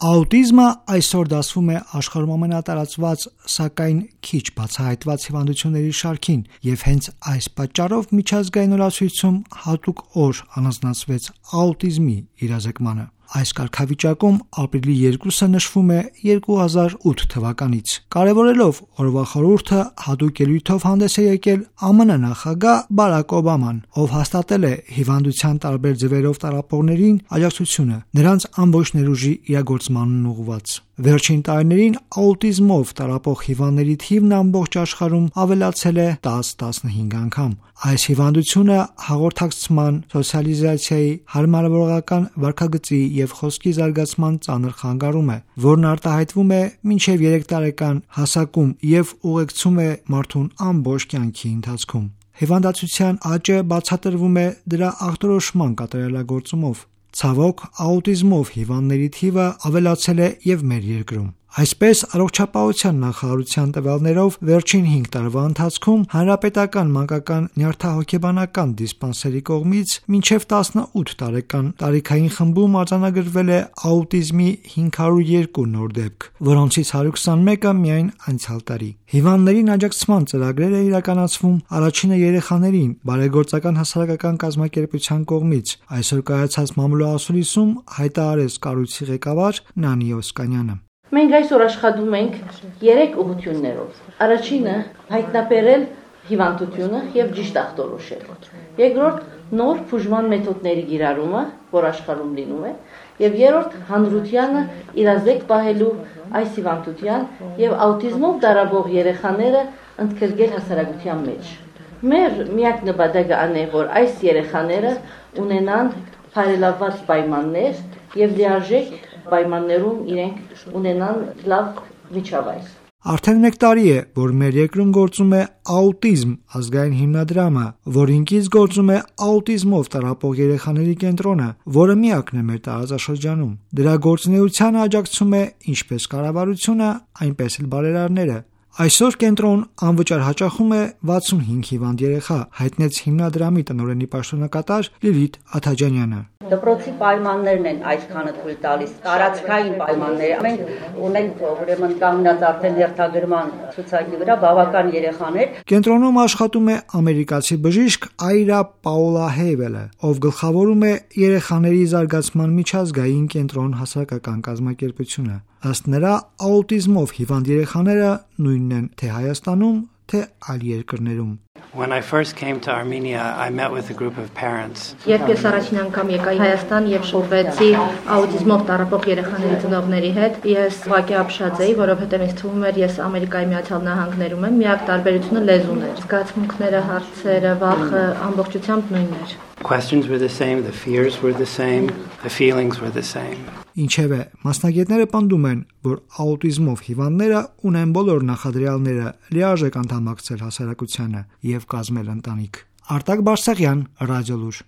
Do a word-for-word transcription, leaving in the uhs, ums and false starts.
Աուտիզմը այսօր դասվում է աշխարհում ամենատարածված, սակայն քիչ բացահայտված հիվանդությունների շարքին, եւ հենց այս պատճառով միջազգային օրացույցում հատուկ օր առանձնացվեց աուտիզմի իրազեկմանը։ Այս կարգավիճակում ապրիլի երկուսը նշվում է երկու հազար ութ թվականից։ Կարևորելով օրվա խորհուրդը հատուկ ելույթով հանդես է եկել Ամն նախագահ Բարաք Օբաման, ով հաստատել է հիվանդության տարբեր ձևերով տառապողներին աջակցությունը, նրանց ամբողջ ներուժի իրագործմանն ուղղված։ Վերջին տարիներին աուտիզմով տառապող հիվանդների թիվն ամբողջ աշխարհում ավելացել է տաս-տասնհինգ անգամ։ Այս հիվանդությունը հաղորդակցման, սոցիալիզացիայի, հարմարավորական վարքագծի եւ խոսքի զարգացման ծանր խանգարում է, որն արտահայտվում է մինչեւ երեք տարեկան հասակում եւ ուղեկցում է մարդուն ամբողջ կյանքի ընթացքում։ Հիվանդացության աճը բացատրվում է դրա ախտորոշման կատարելագործումով։ Ցավոք, աուտիզմով հիվանդների թիվը ավելացել է եւ մեր երկրում։ Այսպես, առողջապահության նախարարության տվյալներով վերջին հինգ տարվա ընթացքում հանրապետական մանկական նյարդահոգեբանական դիսպանսերի կողմից մինչև տասնութ տարեկան տարիքային խմբում արձանագրվել է աուտիզմի հինգ հարյուր երկու նոր դեպք, որոնցից հարյուր քսանմեկը միայն անցյալ տարի։ Հիվանդներին աջակցման ծրագրերը իրականացվում առաջինը երեխաներին բարեգործական հասարակական կազմակերպության կողմից, այսօր կայացած մամուլոասուլիսում հայտարարեց կառույցի ղեկավար Նանի Օսկանյանը։ Մենք այսօր աշխատում ենք երեք ուղղություններով։ Առաջինը հայտնաբերել հիվանդությունը եւ ճիշտ ախտորոշել։ Երկրորդ նոր բուժման մեթոդների կիրառումը, որ աշխարհում լինում է, եւ երրորդ հանրությանը իրազեկ պահելու այս հիվանդության եւ աուտիզմով տառապող երեխաները ընդգրկել հասարակության մեջ։ Մեր միակ նպատակը այն է, որ այս երեխաները ունենան բարելավված պայմաններ եւ լիարժեք պայմաններում իրենք ունենան լավ միջավայր։ Արդեն մեկ տարի է, որ մեր երկրում գործում է աուտիզմ ազգային հիմնադրամը, որին կից գործում է աուտիզմով տառապող երեխաների կենտրոնը, որը միակն է մեր տարածաշրջանում։ Դրա գործունեությանը աջակցում է ինչպես կառավարությունը, այնպես էլ բարերարները։ Այսօր կենտրոն անվճար հաճախում է վաթսունհինգ հիվանդ երեխա, հայտնեց հիմնադրամի տնօրենի պաշտոնակատար Լիլիթ Աթաջանյանը։ Դպրոցի պայմաններն են այսքանը թույլ տալիս, տարածքային պայմանները։ Մենք ունենք ուրեմն կանգնած արդեն հերթագրման ցուցակի վրա բավական երեխաներ։ Կենտրոնում աշխատում է ամերիկացի բժիշկ Այրա Պաուլա Հեյվելը, ով գլխավորում է երեխաների զարգացման միջազգային կենտրոն հասարակական կազմակերպությունը։ Ըստ նրա, աուտիզմով հիվանդ երեխաները նույնն են թե Հայաստանում, թե այլ երկրներում։ When I first came to Armenia, I met with a group of parents. Երբ ես առաջին անգամ եկա Հայաստան եւ շփվեցի աուտիզմով տառապող երեխաների ծնողների հետ, ես ուղղակի ապշած էի, որովհետեւ ինձ թվում էր ես Ամերիկայի Միացյալ Նահանգներում եմ, միակ տարբերությունը լեզուն էր։ Զգացմունքները, հարցերը, վախը ամբողջությամբ նույնն էր։ Questions were the same, the fears were the same, the feelings were the same. Ինչևէ, մասնագետները պնդում են, որ աուտիզմով հիվանդները ունեն բոլոր նախադրյալները լիարժեք անդամակցել հասարակությանը եւ կազմել ընտանիք։ Արտակ Բարսեղյան, Ռադիոլուր։